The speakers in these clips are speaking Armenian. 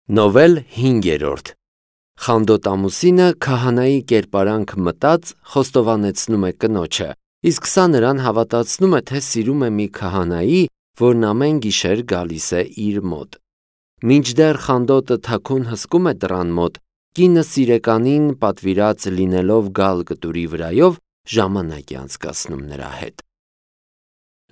Նովել 5-րդ Խանդոտ ամուսինը քահանայի կերպարանք մտած խոստովանեցնում է կնոջը, իսկ սա նրան հավատացնում է, թե սիրում է մի քահանայի, որն ամեն գիշեր գալիս է իր մոտ։ Մինչդեռ խանդոտը թաքուն հսկում է դռան մոտ, կինը սիրեկանին պատվիրած լինելով գալ կտուրի վրայով ժամանակ է անցկացնում նրա հետ։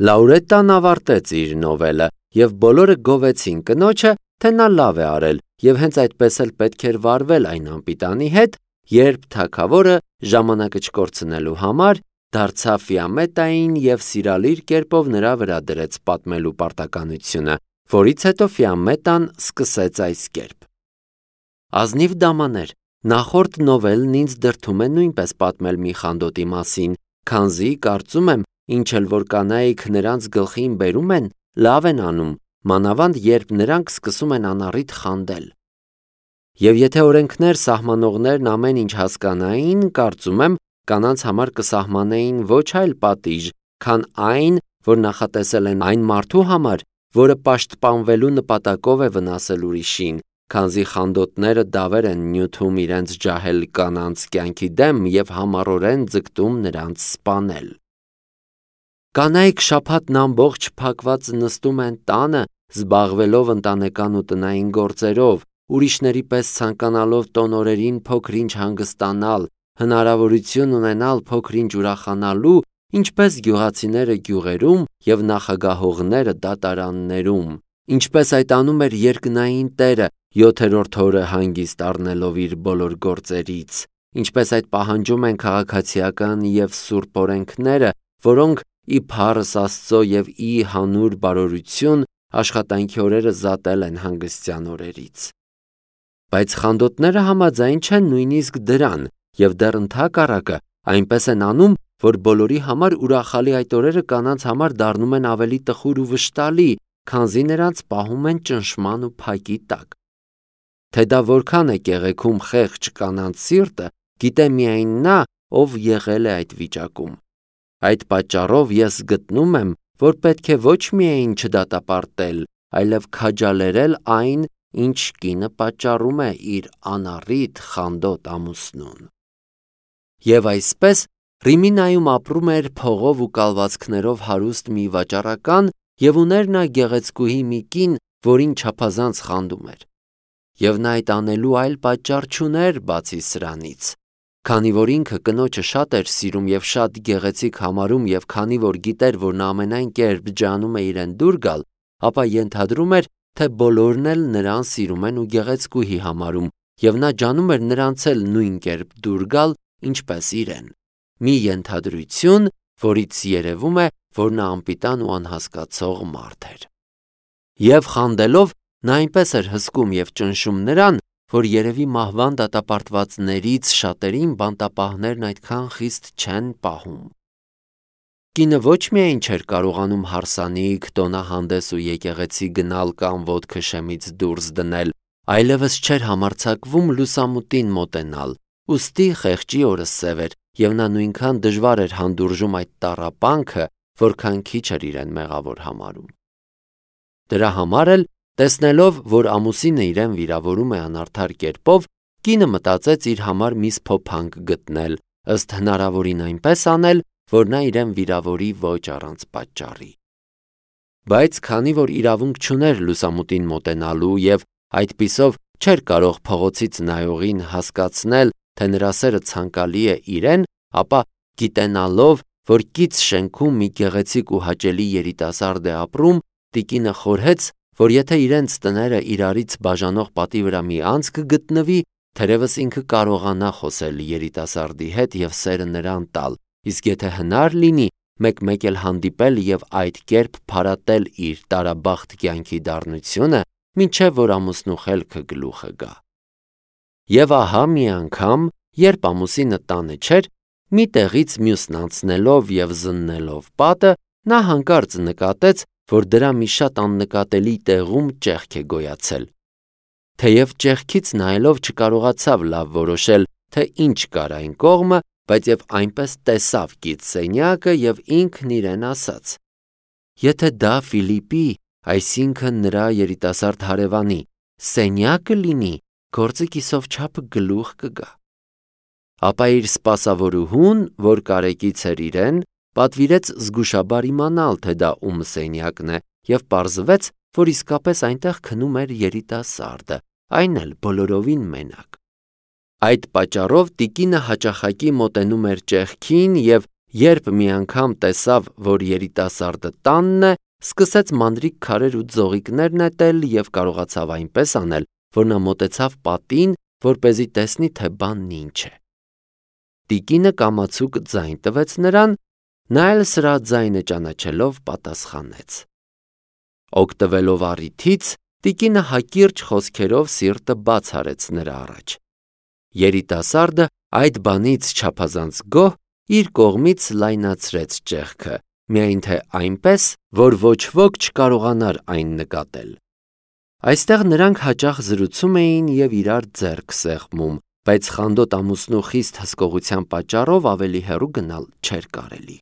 Լաուրետան ավարտեց իր նովելը, եւ բոլորը գովեցին կնոջը, թե նա լավ է արել, եւ հենց այդպես էլ պետք էր վարվել այն անպիտանի հետ, երբ թագավորը ժամանակը չկորցնելու համար դարձավ Ֆիամետային եւ սիրալիր կերպով նրա վրա դրեց պատմելու պարտականությունը, որից հետո Ֆիամետան սկսեց այս կերպ. Ազնիվ դամաներ, նախորդ նովելն ինձ դրդում է նույնպես պատմել մի խանդոտի մասին, քանզի կարծում եմ, ինչ էլ որ կանայք նրանց գլխին բերում են, լավ են անում, մանավանդ երբ նրանք սկսում են անառիթ խանդել։ Եվ եթե օրենքներ սահմանողներն ամեն ինչ հասկանային, կարծում եմ, կանանց համար կսահմանեին ոչ այլ պատիժ, քան այն, որ նախատեսել են այն մարդու համար, որը պաշտպանվելու նպատակով է վնասել ուրիշին, քանզի խանդոտները դավեր են նյութում իրենց ջահել կանանց կյանքի դեմ եւ համառորեն ձգտում նրանց սպանել։ Կանայք շաբաթն ամբողջ փակված նստում են տանը, զբաղվելով ընտանեկան ու տնային գործերով, ուրիշների պես ցանկանալով տոնորերին փոքր-ինչ հանգստանալ, հնարավորություն ունենալ փոքր-ինչ ուրախանալու, ինչպես գյուղացիները գյուղերում եւ նախագահողները դատարաններում, ինչպես այդ անում էր երկնային Տերը 7-րդ օրը հանգիստ առնելով իր բոլոր գործերից, ինչպես այդ պահանջում են քաղաքացիական եւ սուրբ օրենքները, որոնք ի փառս Աստծո եւ ի հանուր բարօրություն աշխատանքի օրերը զատել են հանգստյան օրերից։ Բայց խանդոտները համաձայն չեն նույնիսկ դրան եւ դեռ ընդհակառակը այնպես են անում, որ բոլորի համար ուրախալի այդ օրերը կանանց համար դառնում են ավելի տխուր ու վշտալի, քանզի նրանց պահում են ճնշման ու փակի տակ։ Թե դա որքան է կեղեքում խեղճ կանանց սիրտը, գիտե միայն նա, ով եղել է այդ վիճակում։ Այդ պատճառով ես գտնում եմ, որ պետք է ոչ միայն չդատապարտել, այլև քաջալերել այն, ինչ կինը պատճառում է իր անառիթ խանդոտ ամուսնուն։ Եվ այսպես Ռիմինայում ապրում էր փողով ու կալվածքներով հարուստ մի վաճառական եւ ուներ նա գեղեցկուհի մի կին, որին չափազանց խանդում էր։ Եվ նա այդ անելու այլ պատճառ չուներ բացի սրանից, քանի որ ինքը կնոջը շատ էր սիրում եւ շատ գեղեցիկ համարում եւ քանի որ գիտեր, որ նա ամենայն կերպ ջանում է իրեն դուր գալ, ապա ենթադրում էր, թե բոլորն էլ նրան սիրում են ու գեղեցկուհի համարում եւ նա ջանում էր նրանց էլ նույն կերպ դուր գալ, ինչպես իրեն։ Մի ենթադրություն, որից երևում է, որ նա անպիտան ու անհասկացող մարդ էր։ Եվ խանդելով նա այնպես էր հսկում եւ ճնշում նրան, որ երևի մահվան դատապարտվածներից շատերին բանտապահներն այդքան խիստ չեն պահում։ Կինը ոչ միայն չէր կարողանում հարսանիք, տոնահանդես ու եկեղեցի գնալ կամ ոտքը շեմից դուրս դնել, այլևս չէր համարձակվում լուսամուտին մոտենալ, ուստի խեղճի օրը սև էր, եւ նա նույնքան դժվար էր հանդուրժում այդ տառապանքը, որքան քիչ էր իրեն մեղավոր համարում։ Դրա համար էլ, տեսնելով, որ ամուսինը իրեն վիրավորում է անարդար կերպով, կինը մտածեց իր համար մի սփոփանք գտնել, ըստ հնարավորին այնպես անել, որ նա իրեն վիրավորի ոչ առանց պատճառի։ Բայց քանի որ իրավունք չուներ լուսամուտին մոտենալու եւ այդպիսով չէր կարող փողոցից նայողին հասկացնել, թե նրա սերը ցանկալի է իրեն, ապա գիտենալով, որ կից շենքում մի գեղեցիկ ու հաճելի երիտասարդ է ապրում, տիկինը խորհեց, որ եթե իրենց տները իրարից բաժանող պատի վրա մի անցք գտնվի, թերևս ինքը կարողանա խոսել երիտասարդի հետ եւ սերը նրան տալ, իսկ եթե հնար լինի, մեկ-մեկ էլ հանդիպել եւ այդ կերպ փարատել իր տարաբախտ կյանքի դառնությունը, մինչեւ որ ամուսնու խելքը գլուխը գա։ Եվ ահա մի անգամ, երբ ամուսինը տանը չէր, մի տեղից մյուսն անցնելով եւ զննելով պատը, նա հանկարծ նկատեց, որ դրա մի շատ աննկատելի տեղում ճեղք է գոյացել։ Թեև ճեղքից նայելով չկարողացավ լավ որոշել, թե ինչ կար այն կողմը, բայց եւ այնպես տեսավ կից սենյակը եւ ինքն իրեն ասաց. Եթե դա Ֆիլիպի, այսինքն նրա երիտասարդ հարևանի, սենյակը լինի, գործը կիսով չափը գլուխ կգա։ Ապա իր սպասավորուհուն, որ կարեկից էր իրեն, պատվիրեց զգուշաբար իմանալ, թե դա ում սենյակն է, և պարզվեց, որ իսկապես այնտեղ քնում էր երիտասարդը, այն էլ բոլորովին մենակ։ Այդ պատճառով տիկինը հաճախակի մոտենում էր ճեղքին և երբ մի անգամ տեսավ, որ երիտասարդը տանն է, սկսեց մանրիկ քարեր ու ձողիկներ նետել և կարողացավ այնպես անել, որ նա մոտեցավ պատին, որպեսզի տեսնի, թե բանն ինչ է։ Տիկինը կամացուկ ձայն տվեց նրան, նա էլ սրա ձայնը ճանաչելով պատասխանեց։ Օգտվելով առիթից, տիկինը հակիրճ խոսքերով սիրտը բաց արեց նրա առաջ։ Երիտասարդը այդ բանից չափազանց գոհ իր կողմից լայնացրեց ճեղքը, միայն թե այնպես, որ ոչ ոք չկարողանար այն նկատել։ Այստեղ նրանք հաճախ զրուցում էին և իրար ձեռք սեղմում, բայց խանդոտ ամուսնու խիստ հսկողության պատճառով ավելի հեռու գնալ չէր կարելի։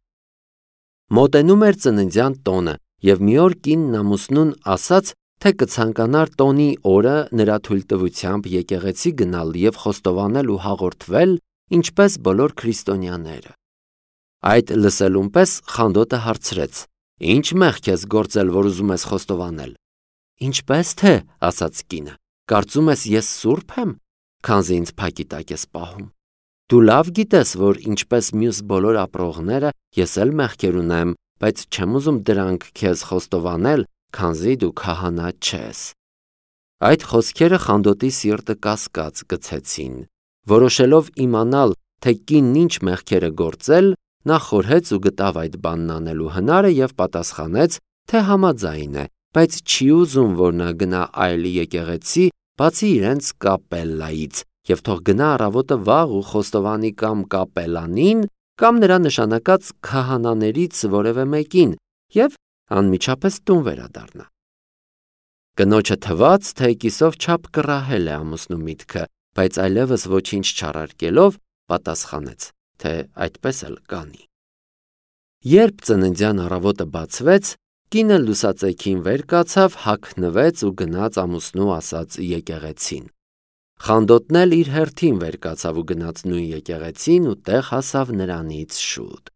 Մոտենում էր ծննդյան տոնը, և մի օր կինն ամուսնուն ասաց, թե կցանկանար տոնի օրը նրա թույլտվությամբ եկեղեցի գնալ և խոստովանել ու հաղորդվել, ինչպես բոլոր քրիստոնյաները։ Այդ լսելուն պես խանդոտը հարցրեց. «Ինչ մեղք ես գործել, որ ուզում ես խոստովանել»։ «Ինչպես թե», ասաց կինը, «կարծում ես ես սուրբ եմ, քանզի ինձ փակի տակ ես պահում։ Դու լավ գիտես, որ ինչպես մյուս բոլոր ապրողները, ես էլ մեղքեր ունեմ, բայց չեմ ուզում դրանք քեզ խոստովանել, քանզի դու քահանա չես»։ Այդ խոսքերը խանդոտի սիրտը կասկած գցեցին։ Որոշելով իմանալ, թե կինն ինչ մեղքեր է գործել, նա խորհեց ու գտավ այդ բանն անելու հնարը և պատասխանեց, թե համաձայն է, բայց չի ուզում, որ նա գնա այլ եկեղեցի, բացի իրենց կապելլայից, և թող գնա առավոտը վաղ ու խոստովանի կամ կապելանին, կամ նրա նշանակած քահանաներից որևէ մեկին և անմիջապես տուն վերադառնա։ Կնոջը թվաց, թե կիսով չափ կռահել է ամուսնու միտքը, բայց այլևս ոչինչ չարարկելով, պատասխանեց, թե այդպես էլ կանի։ Երբ ծննդյան առավոտը բացվեց, կինը լուսածեքին վեր կացավ, հագնվեց ու գնաց ամուսնու ասած եկեղեցին։ Խանդոտն էլ իր հերթին վեր կացավ ու գնաց նույն եկեղեցին ու տեղ հասավ նրանից շուտ։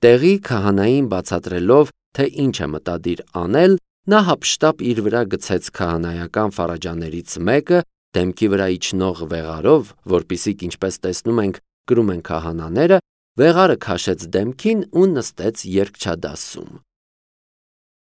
Տեղի քահանային բացատրելով, թե ինչ է մտադիր անել, նա հափշտապ իր վրա գցեց քահանայական ֆարաջաներից մեկը, դեմքի վրա իջնող վեղարով, որպիսիք ինչպես տեսնում ենք կրում են քահանաները, վեղարը քաշեց դեմքին ու նստեց երգչադասում։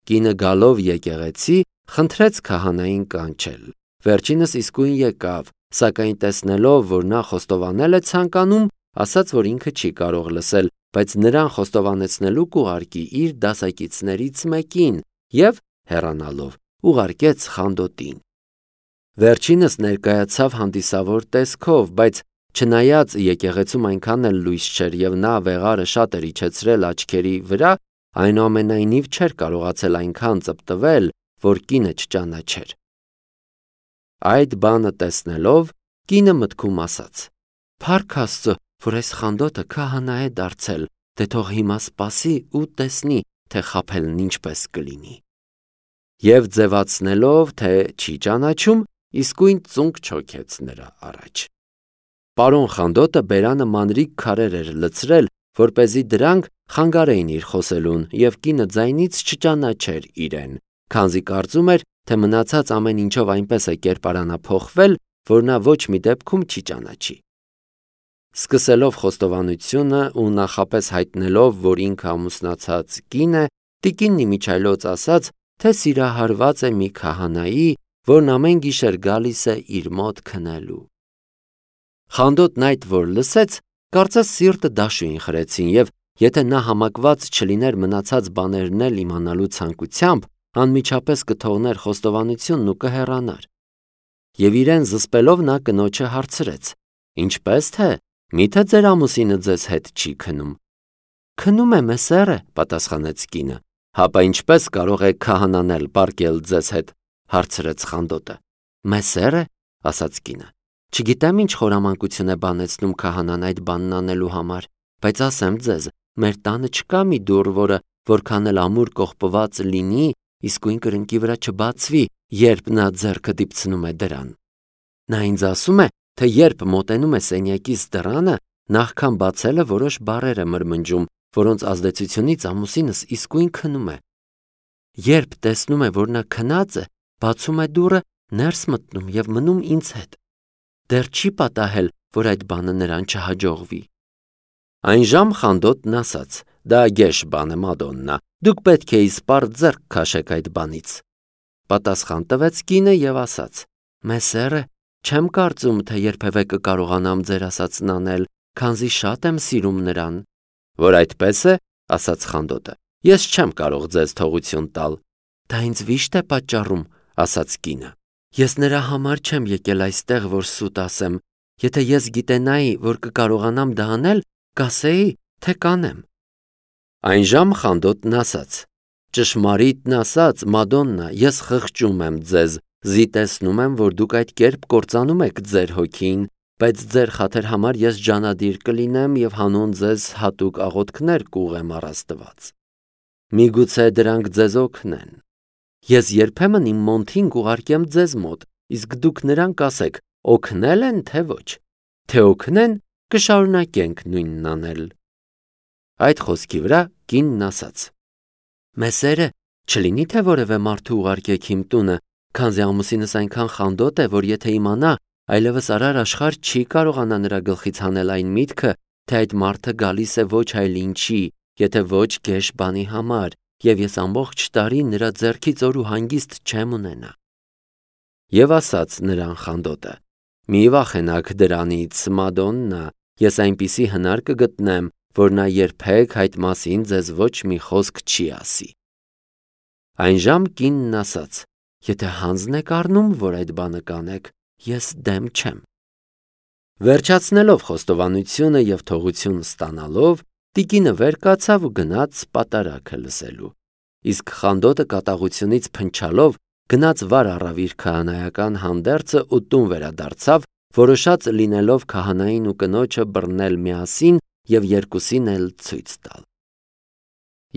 Կինը գալով եկեղեցի, խնդրեց քահանային կանչել։ Վերջինս իսկույն եկավ, սակայն տեսնելով, որ նա խոստովանել է ցանկանում, ասաց, որ ինքը չի կարող լսել, բայց նրան խոստովանեցնելու կուղարկի իր դասակիցներից մեկին և, հեռանալով, ուղարկեց խանդոտին։ Վերջինս ներկայացավ հանդիսավոր տեսքով, բայց չնայած եկեղեցում այնքան էլ լույս չէր և նա վեղարը շատ էր իջեցրել աչքերի վրա, այնուամենայնիվ չէր կարողացել այնքան ծպտվել, որ կինը չճանաչեր։ Այդ բանը տեսնելով, կինը մտքում ասաց. «Փառք Աստծո, որ այս խանդոտը քահանա է դարձել, դե թող հիմա սպասի ու տեսնի, թե խաբելն ինչպես կլինի»։ Եվ ձևացնելով, թե չի ճանաչում, իսկույն ծունկ չոքեց նրա առաջ։ Պարոն խանդոտը բերանը մանրիկ քարեր էր լցրել, որպեսզի դրանք խանգարեին իր խոսելուն, և կինը ձայնից չճանաչեր իրեն, քանզի կարծում էր, թե մնացած ամեն ինչով այնպես է կերպարանափոխվել, որ նա ոչ մի դեպքում չի ճանաչի։ Սկսելով խոստովանությունը ու նախապես հայտնելով, որ ինքը ամուսնացած կին է, տիկինն իմիջիայլոց ասաց, թե սիրահարված է մի քահանայի, որն ամեն գիշեր գալիս է իր մոտ քնելու։ Խանդոտն այդ որ լսեց, կարծես սիրտը դաշույն խրեցին և եթե նա համակված չլիներ մնացած բաներն էլ իմանալու ցանկությամբ, անմիջապես կթողներ խոստովանությունն ու կհեռանար։ Եվ իրեն զսպելով նա կնոջը հարցրեց. «Ինչպես թե, միթե ձեր ամուսինը ձեզ հետ չի քնում»։ «Քնում է, մեսեր է», պատասխանեց կինը։ «Հապա ինչպես կարող է քահանան էլ պառկել ձեզ հետ», հարցրեց խանդոտը։ «Մեսեր է», ասաց կինը։ «Չգիտեմ ինչ խորամանկություն է բանեցնում քահանան այդ բանն անելու համար, բայց ասեմ ձեզ, մեր տանը չկա մի դուռ, որը որքան էլ ամուր կողպված լինի, իսկույն կրնկի վրա չբացվի, երբ նա ձեռքը դիպցնում է դրան։ Նա ինձ ասում է, թե երբ մոտենում է սենյակիս դռանը, նախքան բացելը որոշ բառեր է մրմնջում, որոնց ազդեցությունից ամուսինս իսկույն քնում է։ Երբ տեսնում է, որ նա քնած է, բացում է դուռը, ներս մտնում և մնում ինձ հետ։ Դեռ չի պատահել, որ այդ բանը նրան չհաջողվի։ Այն ժամ խանդոտն ասաց. «Դա գեշ բան է, Մադոննա, դուք պետք է իսպառ ձեռք քաշեք այդ բանից»։ Պատասխան տվեց կինը և ասաց. «Մեսերը, չեմ կարծում, թե երբևէ կկարողանամ ձեր ասածն անել, քանզի շատ եմ սիրում նրան»։ Որ այդպես է, ասաց խանդոտը, ես չեմ կարող ձեզ թողություն տալ։ Դա ինձ վիշտ է պատճառում, ասաց կինը։ Ես նրա համար չեմ եկել այստեղ, որ սուտ ասեմ։ Եթե ես գիտենայի, որ կկարողանամ դա անել, կասեի, թե կանեմ։ Այն ժամ խանդոտն ասաց. «Ճշմարիտն ասած, Մադոննա, ես խղճում եմ ձեզ, զիտեցնում եմ, որ դուք այդ կերպ կործանում եք ձեր հոգին, բայց ձեր խաթր համար ես ջանադիր կլինեմ և հանուն ձեզ հատուկ աղոթքներ կուղեմ առ Աստված։ Միգուցե դրանք ձեզ օգնեն։ Ես երբեմն իմ մոնթին կուղարկեմ ձեզ մոտ, իսկ դուք նրան կասեք, օգնել են, թե ոչ։ Թե օգնեն, կշարունակենք նույնն անել»։ Այդ խոսքի վրա կինն ասաց. «Մեսերը, չլինի թե որևէ մարդու ուղարկեք իմ տունը, քանզի ամուսինս այնքան խանդոտ է, որ եթե իմանա, այլևս արար աշխարհ չի կարողանա նրա գլխից հանել այն միտքը, թե այդ մարդը գալիս է ոչ այլ ինչի, եթե ոչ գեշ բանի համար, և ես ամբողջ տարի նրա ձեռքից օր ու հանգիստ չեմ ունենա»։ Եվ ասաց նրան խանդոտը. «Մի վախենաք դրանից, Մադոննա, ես այնպիսի հնար կգտնեմ, որ նա երբեք այդ մասին ձեզ ոչ մի խոսք չի ասի»։ Այն ժամ կինն ասաց. «Եթե հանձն եք առնում, որ այդ բանը կանեք, ես դեմ չեմ»։ Վերջացնելով խոստովանությունը և թողություն ստանալով, տիկինը վեր կացավ ու գնաց պատարագը լսելու։ Իսկ խանդոտը կատաղությունից փնչալով գնաց վար առավ իր քահանայական հանդերձը ու տուն վերադարձավ, որոշած լինելով քահանային ու կնոջը բռնել միասին և երկուսին էլ ցույց տալ։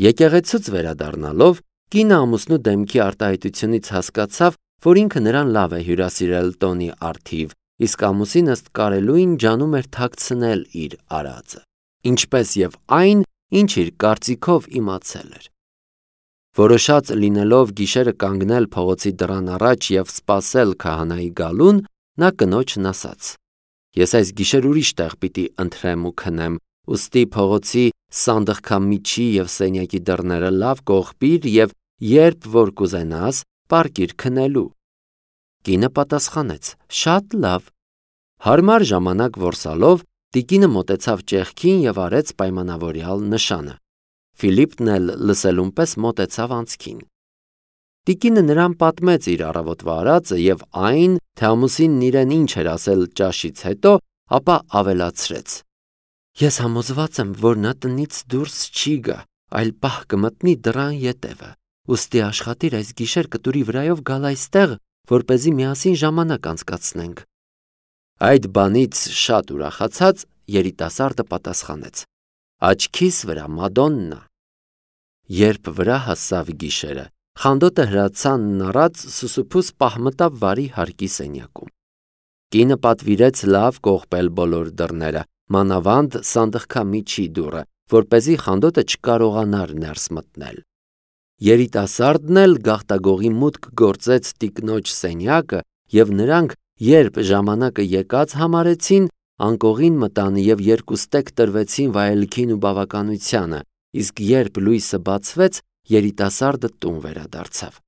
Եկեղեցուց վերադառնալով, կինը ամուսնու դեմքի արտահայտությունից հասկացավ, որ ինքը նրան լավ է հյուրասիրել տոնի առթիվ, իսկ ամուսինը ըստ կարելույն ջանում էր թաքցնել իր արածը, ինչպես և այն, ինչ իր կարծիքով իմացել էր։ Որոշած լինելով գիշերը կանգնել փողոցի դռան առաջ և սպասել քահանայի գալուն, նա կնոջն ասաց. «Ես այս գիշեր ուրիշ տեղ պիտի ընթրեմ ու քնեմ, ուստի փողոցի սանդղքամիջի և սենյակի դռները լավ կողպիր և երբ որ կուզենաս, պառկիր քնելու»։ Կինը պատասխանեց. «Շատ լավ»։ Հարմար ժամանակ որսալով, տիկինը մոտեցավ ճեղքին և արեց պայմանավորյալ նշանը։ Ֆիլիպն էլ լսելուն պես մոտեցավ անցքին։ Տիկինը նրան պատմեց իր առավոտվա արածը և այն, թե ամուսինն իրեն ինչ էր ասել ճաշից հետո, ապա ավելացրեց. «Ես համոզված եմ, որ նա տնից դուրս չի գա, այլ պահ կմտնի դռան ետևը, ուստի աշխատիր այս գիշեր կտուրի վրայով գալ այստեղ, որպեսզի միասին ժամանակ անցկացնենք»։ Այդ բանից շատ ուրախացած, երիտասարդը պատասխանեց. «Աչքիս վրա, Մադոննա»։ Երբ վրա հասավ գիշերը, խանդոտը հրացանն առած սուսուփուս պահ մտավ վարի հարկի սենյակում։ Կինը պատվիրեց լավ կողպել բոլոր դռները, մանավանդ սանդղքամիջի դուռը, որպեսզի խանդոտը չկարողանար ներս մտնել։ Երիտասարդն էլ գաղտագողի մուտք գործեց տիկնոջ սենյակը, և նրանք, երբ ժամանակը եկած համարեցին, անկողին մտան և երկուստեք տրվեցին վայելքին ու բավականությանը, իսկ երբ լույսը բացվեց, երիտասարդը տուն վերադարձավ։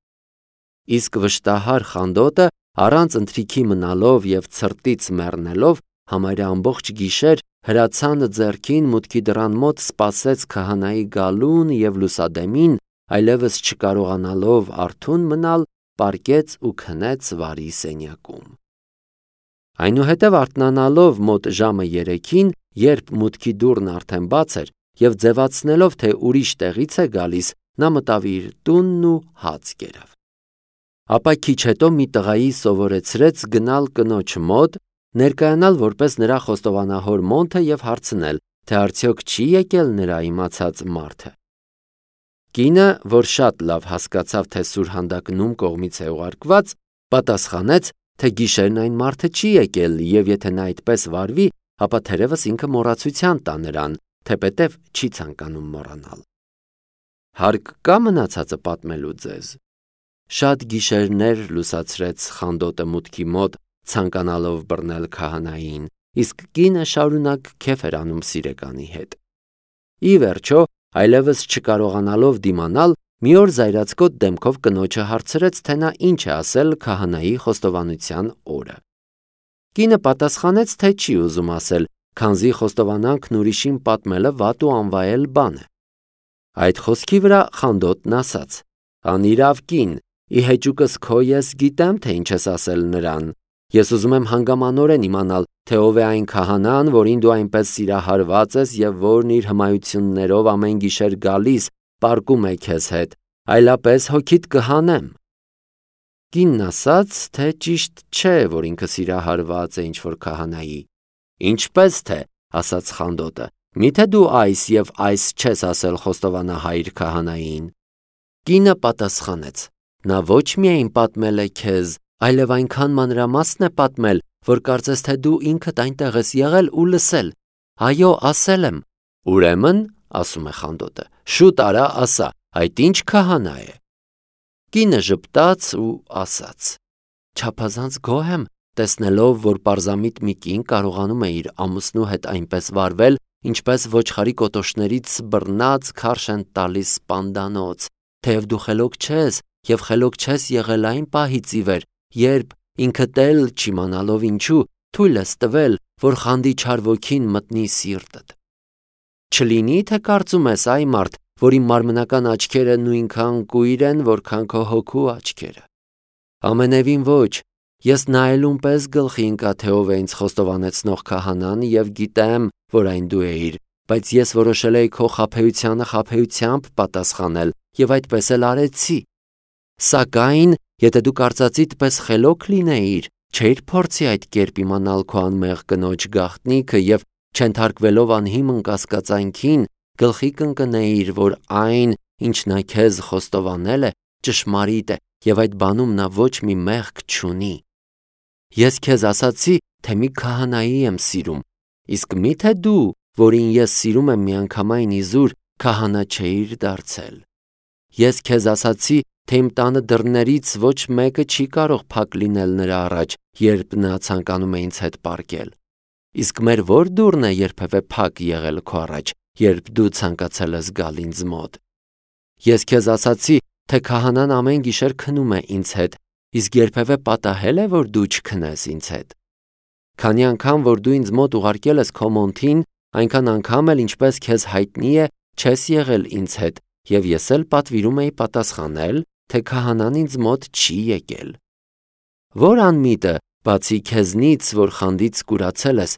Իսկ վշտահար խանդոտը, առանց ընթրիքի մնալով և ցրտից մեռնելով, համարյա ամբողջ գիշեր հրացանը ձեռքին մուտքի դռան մոտ սպասեց քահանայի գալուն և լուսադեմին, այլևս չկարողանալով արթուն մնալ, պառկեց ու քնեց վարի սենյակում։ Այնուհետև արթնանալով մոտ ժամը 3-ին, երբ մուտքի դուռն արդեն բաց էր, և ձևացնելով, թե ուրիշ տեղից է գալիս, նա մտավ իր տունն ու հաց կերավ։ Ապա քիչ հետո մի տղայի սովորեցրեց գնալ կնոջ մոտ, ներկայանալ որպես նրա խոստովանահոր մոնթը և հարցնել, թե արդյոք չի եկել նրա իմացած մարդը։ Կինը, որ շատ լավ հասկացավ, թե սուրհանդակնում կողմից է ուղարկված, պատասխանեց, թե գիշերն այն մարդը չի եկել, և եթե նա այդպես վարվի, ապա թերևս ինքը մոռացության տա նրան, թեպետև չի ցանկանում մոռանալ։ Հարկ կա մնացածը պատմելու ձեզ։ Շատ գիշերներ լուսացրեց Խանդոտը մուտքի մոտ, ցանկանալով բռնել քահանային, իսկ կինը շարունակ քեֆ էր անում սիրեկանի հետ։ Ի վերջո, այլևս չկարողանալով դիմանալ, մի օր զայրացկոտ դեմքով կնոջը հարցրեց, թե նա ինչ է ասել քահանայի խոստովանության օրը։ Կինը պատասխանեց, թե չի ուզում ասել, քանզի խոստովանանքն ուրիշին պատմելը վատ ու անվայել բան է։ Այդ խոսքի վրա Խանդոտն ասաց. «Անիրավ կին, ի հեճուկս քո ես գիտեմ, թե ինչ ես ասել նրան։ Ես ուզում եմ հանգամանորեն իմանալ, թե ով է այն քահանան, որին դու այնպես սիրահարված ես և որն իր հմայություններով ամեն գիշեր գալիս, պառկում է քեզ հետ, այլապես հոգիդ կհանեմ»։ Կինն ասաց, թե ճիշտ չէ, որ ինքը սիրահարված է ինչ-որ քահանայի։ «Ինչպես թե», ասաց Խանդոտը, «միթե դու այս և այս չես ասել խոստովանահայր քահանային»։ Կինը պատասխանեց. «Նա ոչ միայն պատմել է քեզ, այլև այնքան մանրամասն է պատմել, որ կարծես թե դու ինքդ այնտեղ ես եղել ու լսել։ Այո, ասել եմ»։ «Ուրեմն, ասում է Խանդոտը, շուտ արա ասա, այդ ինչ քահանա է»։ Կինը ժպտաց ու ասաց. «Չափազանց գոհ եմ, տեսնելով, որ պարզամիտ մի կին կարողանում է իր ամուսնու հետ այնպես վարվել, ինչպես ոչխարի կոտոշներից բռնած քարշ են տալիս սպանդանոց, թեև դու խելոք չես և խելոք չես եղել այն պահից ի վեր, երբ ինքդ էլ չիմանալով ինչու թույլ ես տվել, որ խանդի չար ոգին մտնի սիրտդ։ Չլինի, թե կարծում ես այ մարդ, որի մարմնական աչքերը նույնքան կույր են, որքան քո հոգու աչքերը։ Ամենևին ոչ, ես նայելուն պես գլխի ընկա, թե ով է ինձ խոստովանեցնող քահանան և գիտեմ, որ այն դու էիր, բայց ես որոշել էի քո խաբեությանը խաբեությամբ պատասխանել և այդպես էլ արեցի։ Սակայն, եթե դու կարծածիդ պես խելոք լինեիր, չէիր փորձի այդ կերպ իմանալ քո անմեղ կնոջ գաղտնիքը և չենթարկվելով անհիմն կասկածանքին, գլխի կընկնեիր, որ այն, ինչ նա քեզ խոստովանել է, ճշմարիտ է և այդ բանում նա ոչ մի մեղք չունի։ Ես քեզ ասացի, թե մի քահանայի եմ սիրում, իսկ միթե դու, որին ես սիրում եմ միանգամայն իզուր, քահանա չէիր դարձել։ Ես քեզ ասացի, թե իմ տանը դռներից ոչ մեկը չի կարող փակ լինել նրա առաջ, երբ նա ցանկանում է ինձ հետ պառկել։ Իսկ մեր ո՞ր դուռն է երբևէ փակ եղել քո առաջ, երբ դու ցանկացել ես գալ ինձ մոտ։ Ես քեզ ասացի, թե քահանան ամեն գիշեր քնում է ինձ հետ, իսկ երբևէ պատահե՞լ է, որ դու չքնես ինձ հետ։ Քանի անգամ, որ դու ինձ մոտ ուղարկել ես քո մոնթին, այնքան անգամ էլ ինչպես քեզ հայտնի է, չես եղել ինձ հետ, և ես էլ պատվիրում էի պատասխանել, թե քահանան ինձ մոտ չի եկել։ Որ անմիտը, բացի քեզնից, որ խանդից կուրացել ես,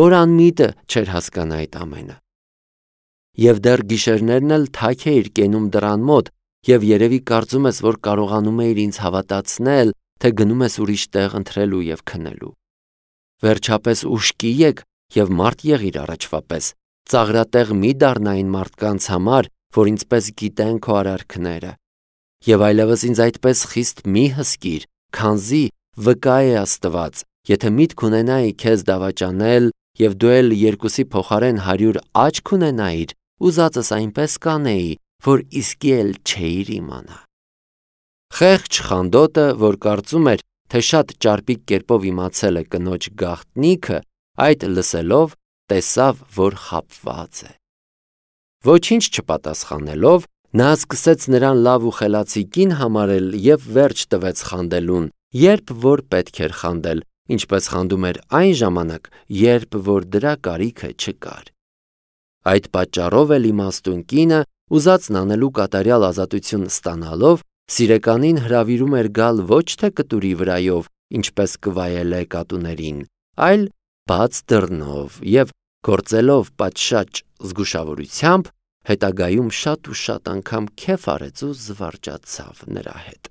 որ անմիտը չէր հասկանա այդ ամենը։ Եվ դեռ գիշերներն էլ թաք էիր կենում դռան մոտ, և երևի կարծում ես, որ կարողանում էիր ինձ հավատացնել, թե գնում ես ուրիշ տեղ ընթրելու և քնելու։ Վերջապես ուշքի եկ և մարդ եղիր առաջվա պես, ծաղրատեղ մի դառնա այն մարդկանց համար, որ ինձպես գիտեն քո արարքները։ Եվ այլևս ինձ այդպես խիստ մի հսկիր, քանզի վկա է Աստված, եթե միտք ունենայի քեզ դավաճանել, և դու էլ երկուսի փոխարեն 100 աչք ունենայիր, ուզածս այնպես կանեի, որ իսկի էլ չէիր իմանա։ Խեղճ Խանդոտը, որ կարծում էր, թե շատ ճարպիկ կերպով իմացել է կնոջ գաղտնիքը, այդ լսելով տեսավ, որ խաբված է։ Ոչինչ չպատասխանելով, նա սկսեց նրան լավ ու խելացի կին համարել և վերջ տվեց խանդելուն, երբ որ պետք էր խանդել, ինչպես խանդում էր այն ժամանակ, երբ որ դրա կարիքը չկար։ Այդ պատճառով էլ իմաստուն կինը, ուզածն անելու կատարյալ ազատություն ստանալով, սիրեկանին հրավիրում էր գալ ոչ թե կտուրի վրայով, ինչպես կվայելե կատուներին, այլ բաց դռնով և գործելով պատշաճ զգուշավորությամբ, հետագայում շատ ու շատ անգամ քեֆ արեց ու զվարճացավ նրա հետ։